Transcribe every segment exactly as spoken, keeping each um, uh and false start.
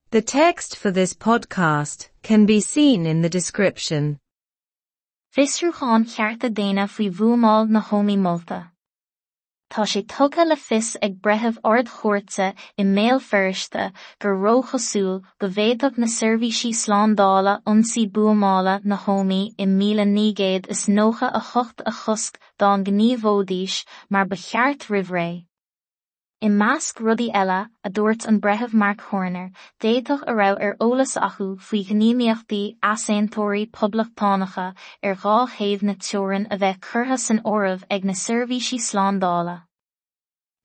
The text for this podcast can be seen in the description. Fiosrúchán cearta daonna faoi bhuamáil na hÓmaí molta. Tá sé tugtha le fios ag breitheamh ard-chúirte i mBéal Feirste gur róchosúil go bhféadfadh na seirbhísí slándála ionsaí buamála na hÓmaí i míle naoi gcéad is nócha a hocht a chosc dá ngníomhóidís mar ba cheart roimh ré. I measc rudaí eile, a dúirt an breitheamh Mark Horner, d'fhéadfadh a raibh ar eolas acu faoi ghníomhaíochtaí easaontóirí poblachtánacha ar dhá thaobh na teorann a bheith curtha san áireamh ag na seirbhísí slándála.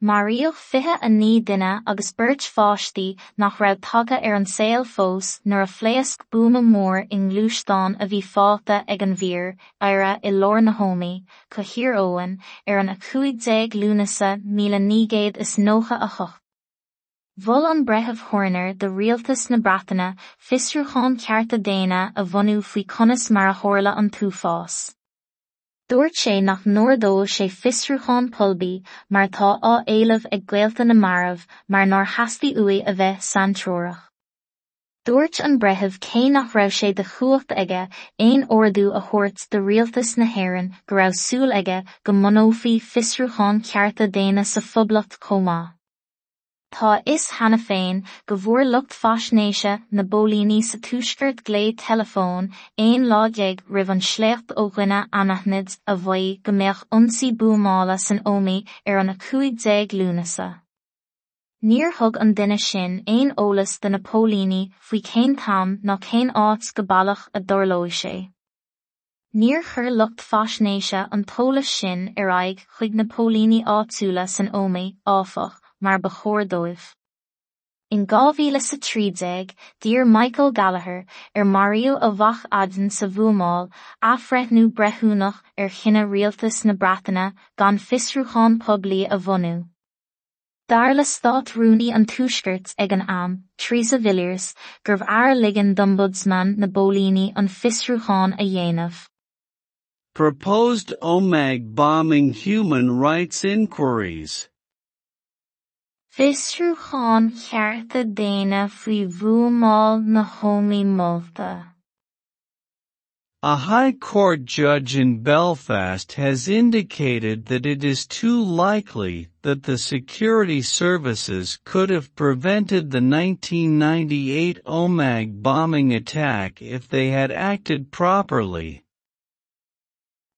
Maraíodh fiche a naoi duine agus beirt pháistí nach raibh tagtha ar an saol fós nuair a phléasc buama mór i ngluaisteán a bhí fágtha ag an bhfíor, IRA i lár na hÓmaí, Co Thír Eoghain, ar an a cúig déag Lúnasa míle naoi gcéad is nócha a hocht. Mhol an breitheamh Horner do rialtas na Breataine fiosrúchán cearta daonna a bhunú faoi conas mar a tharla an t-uafás. Dúirt sé nach n-ordódh sé fiosrúchán poiblí mar atá á éileamh ag gaolta na marbh mar nár theastaigh uaidh a bheith saintreorach. Dúirt an breitheamh cé nach raibh sé de chumhacht aige aon ordú a thabhairt do rialtas na hÉireann go raibh súil aige go mbunófaí fiosrúchán cearta daonna sa Phoblacht chomh maith. Tá a fhios cheana féin go bhfuair lucht faisnéise na bpóilíní sa tuaisceart glao teileafóin aon lá déag roimh an sléacht ó dhuine anaithnid a mhaígh go mbeadh ionsaí buamála san Ómaí ar an a cúig déag Lúnasa. Níor thug an duine sin aon eolas do na póilíní faoi cén t-am ná cén áit go baileach a dtarlóidh sé. Níor chuir lucht faisnéise an t-eolas sin ar aghaidh chuig na póilíní áitiúla san Ómaí, áfach, mar ba chóir dóibh. In dhá mhíle is a trí déag, d'iarr Michael Gallagher, ar maraíodh a mhac Aidan sa bhuamáil, athbhreithniú breithiúnach ar chinneadh rialtas na Breataine gan fiosrúchán poiblí a bhunú. Dar le Stát-Rúnaí an Tuaiscirt ag an am, Theresa Villiers, gurbh fhearr ligean d'Ombudsman na bPóilíní an fiosrúchán a dhéanamh. Proposed Omagh bombing human rights inquiries. Fiosrúchán cearta daonna faoi bhuamáil na hÓmaí molta. A High Court judge in Belfast has indicated that it is too likely that the security services could have prevented the nineteen ninety-eight Omagh bombing attack if they had acted properly.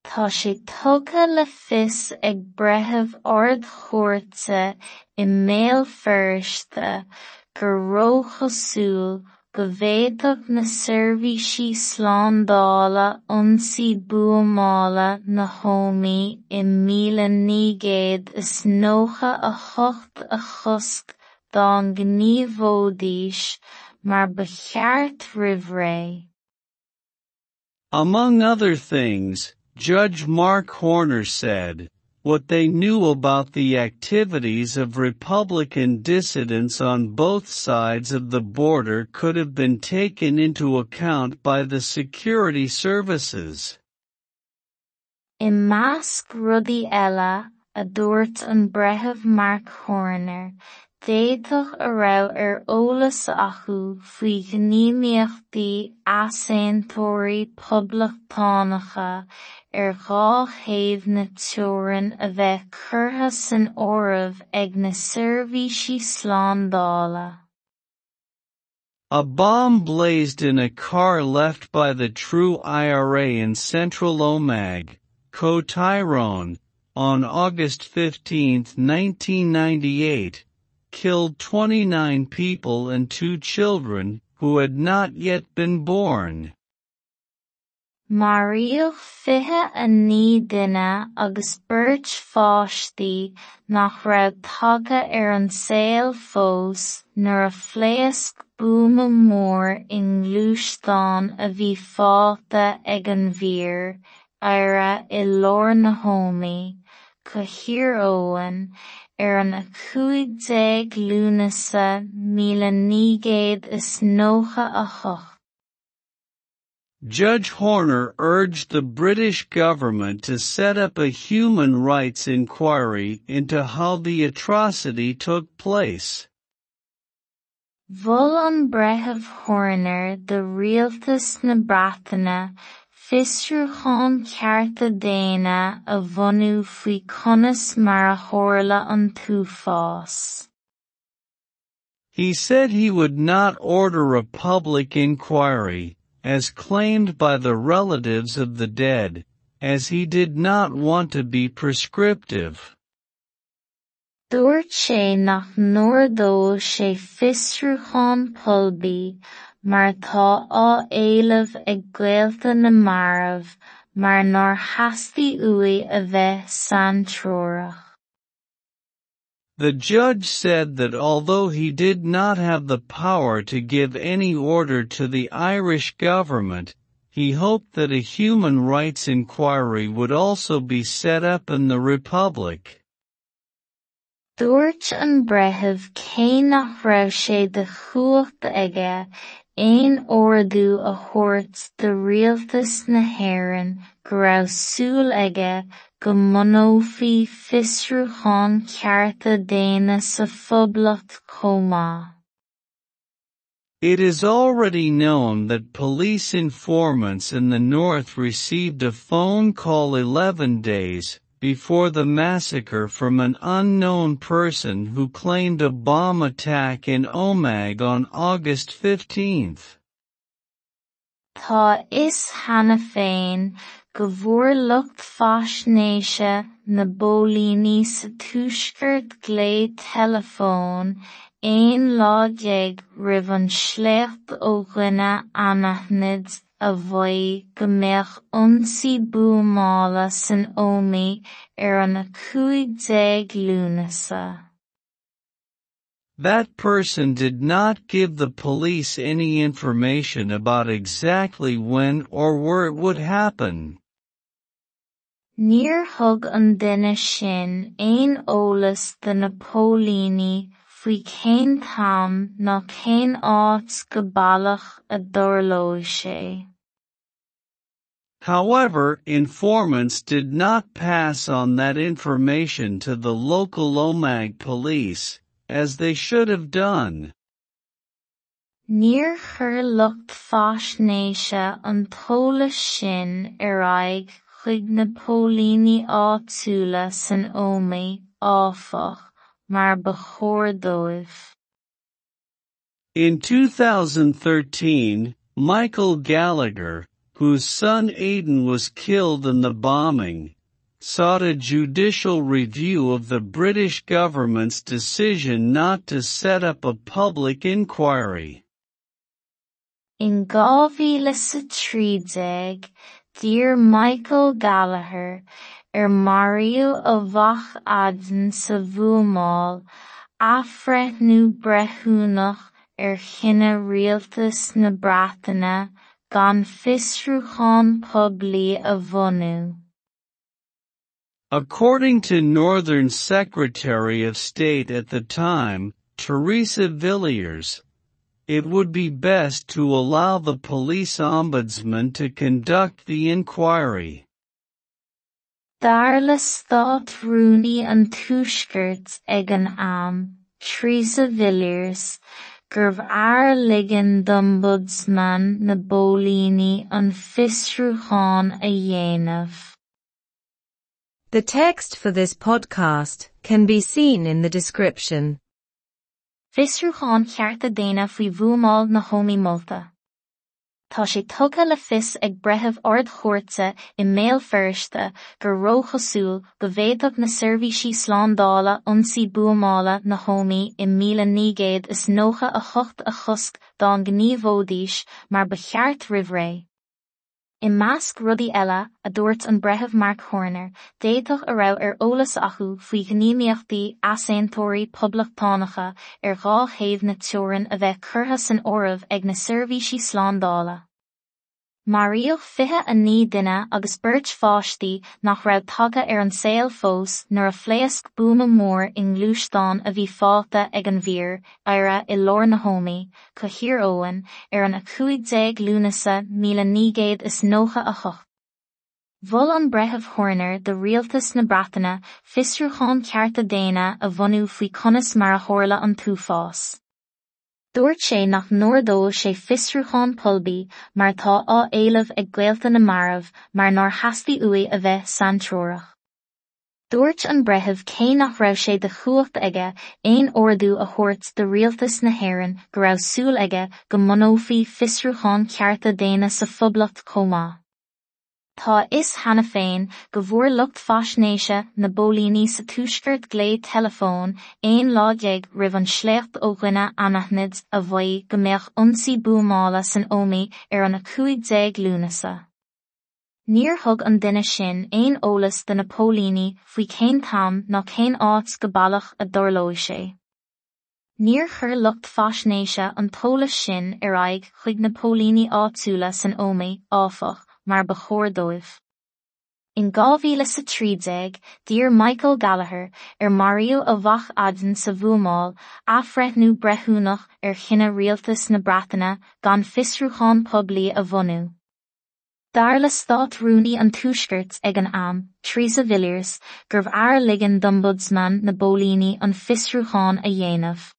Tá sé tugtha le fios ag breitheamh ard-chúirte i mBéal Feirste gur róchosúil go bhféadfadh na seirbhísí slándála ionsaí buamála na hÓmaí i míle naoi gcéad is nócha a hocht a chosc dá ngníomhóidís mar ba cheart roimh ré. Among other things, Judge Mark Horner said, what they knew about the activities of Republican dissidents on both sides of the border could have been taken into account by the security services. I measc rudaí eile, a dúirt an breitheamh Mark Horner, d'fhéadfadh a raibh ar eolas acu faoi ghníomhaíochtaí easaontóirí poblachtánacha ar dhá thaobh na teorann a bheith curtha san áireamh ag na seirbhísí slándála. A bomb blazed in a car left by the True I R A in central Omagh, Co Tyrone, on August fifteenth, nineteen ninety-eight, killed twenty-nine people and two children who had not yet been born. Maraíodh fiche a naoi duine agus beirt pháistí nach raibh tagtha ar an saol fós nuair a phléasc buama mór i ngluaisteán a bhí fágtha ag an bhfíor, IRA i lár na hÓmaí, Co Thír Eoghain, ar an a cúig déag Lúnasa míle naoi gcéad is nócha a hocht. Judge Horner urged the British government to set up a human rights inquiry into how the atrocity took place. Mhol an Breitheamh Horner do Rialtas na Breataine fiosrúchán cearta daonna a bhunú faoi conas mar a tharla an t-uafás. He said he would not order a public inquiry, as claimed by the relatives of the dead, as he did not want to be prescriptive. Dúirt sé nach n-ordódh sé fiosrúchán poiblí mar atá á éileamh ag gaolta na marbh mar nár theastaigh uaidh a bheith saintreorach. The judge said that although he did not have the power to give any order to the Irish government, he hoped that a human rights inquiry would also be set up in the Republic. Dúirt an breitheamh cé nach raibh sé de chumhacht aige aon ordú a thabhairt do Rialtas na hÉireann go raibh súil aige go mbunófaí fiosrúchán cearta daonna sa Phoblacht chomh maith. It is already known that police informants in the north received a phone call eleven days before the massacre from an unknown person who claimed a bomb attack in Omagh on August fifteenth. Tá a fhios cheana féin go bhfuair lucht faisnéise na bpóilíní sa tuaisceart glao teileafóin aon lá déag roimh an sléacht ó dhuine anaithnid a mhaígh go mbeadh ionsaí buamála san Ómaigh ar an a cúig déag Lúnasa. That person did not give the police any information about exactly when or where it would happen. Níor thug an duine sin aon eolas do na póilíní faoi cén t-am ná cén áit go baileach a dtarlóidh sé. However, informants did not pass on that information to the local Omagh police, as they should have done. Níor chuir lucht faisnéise an t-eolas sin ar aghaidh chuig na póilíní áitiúla san Ómaigh, áfach, mar ba chóir dóibh. In two thousand thirteen, Michael Gallagher, whose son Aidan was killed in the bombing, sought a judicial review of the British government's decision not to set up a public inquiry. In dhá mhíle sa trí déag, d'iarr Michael Gallagher ar maraíodh a mhac Aidan sa bhuamáil athbhreithniú breithiúnach ar chinneadh Rialtas na Breataine gan fiosrúchán poiblí a bhunú. According to Northern Secretary of State at the time, Theresa Villiers, it would be best to allow the police ombudsman to conduct the inquiry. Dar le stát rúnaí an tuaiscirt ag an am, Theresa Villiers, gurbh fhearr ligean d'ombudsman na bpóilíní an fiosrúchán a dhéanamh. The text for this podcast can be seen in the description. Fiosrúchán cearta daonna faoi bhuamáil na hÓmaí molta. Tá sé tugtha le fios ag breitheamh ardchúirte i mBéal Feirste gur róchosúil go bhféadfadh na seirbhísí slándála ionsaí buamála na hÓmaí i míle naoi gcéad is nócha a hocht a chosc dá ngníomhóidís mar ba cheart roimh ré. I measc rudaí eile, a dúirt an breitheamh Mark Horner, d'fhéadfadh a raibh ar eolas acu faoi ghníomhaíochtaí easaontóirí poblachtánacha ar dhá thaobh na teorann a bheith curtha san áireamh ag na seirbhísí slándála. Maraíodh fiche a naoi duine agus beirt pháistí nach raibh tagtha ar an saol fós nuair a phléasc buama mór i ngluaisteán a bhí fágtha ag an bhfear I R A i lár na hÓmaí, Co Thír Eoghain, ar an a cúig déag Lúnasa míle naoi gcéad is nócha a hocht. Mhol an breitheamh Horner do Rialtas na Breataine fiosrúchán cearta daonna a bhunú faoi conas mar a tharla an t-uafás. Dúirt sé nach n-ordódh sé fiosrúchán poiblí mar atá á éileamh ag gaolta na marbh mar nár theastaigh uaidh a bheith saintreorach. Dúirt an breitheamh cé nach raibh sé de chumhacht aige aon ordú a thabhairt do rialtas na hÉireann go raibh súil aige go mbunófaí fiosrúchán cearta daonna sa Phoblacht chomh maith. Tá a fhios cheana féin go bhfuair lucht faisnéise na bpóilíní sa Tuaisceart glao teileafóin aon lá déag roimh an sléacht ó dhuine anaithnid a mhaígh go mbeadh ionsaí buamála san Ómaigh ar an a cúig déag Lúnasa. Níor thug an duine sin aon eolas do na póilíní faoi cén t-am ná cén áit go baileach a dtarlóidh sé. Níor chuir lucht faisnéise an t-eolas sin ar aghaidh chuig na póilíní áitiúla san Ómaigh, áfach, mar ba chóir dóibh. In dhá mhíle is a trí déag, d'iarr Michael Gallagher, ar maraíodh a mhac Aidan sa bhuamáil, athbhreithniú breithiúnach ar chinneadh rialtas na Breataine gan fiosrúchán poiblí a bhunú. Dar le Stát-Rúnaí an Tuaiscirt ag an am, Theresa Villiers, gurbh fhearr ligean d'Ombudsman na bPóilíní an fiosrúchán a dhéanamh.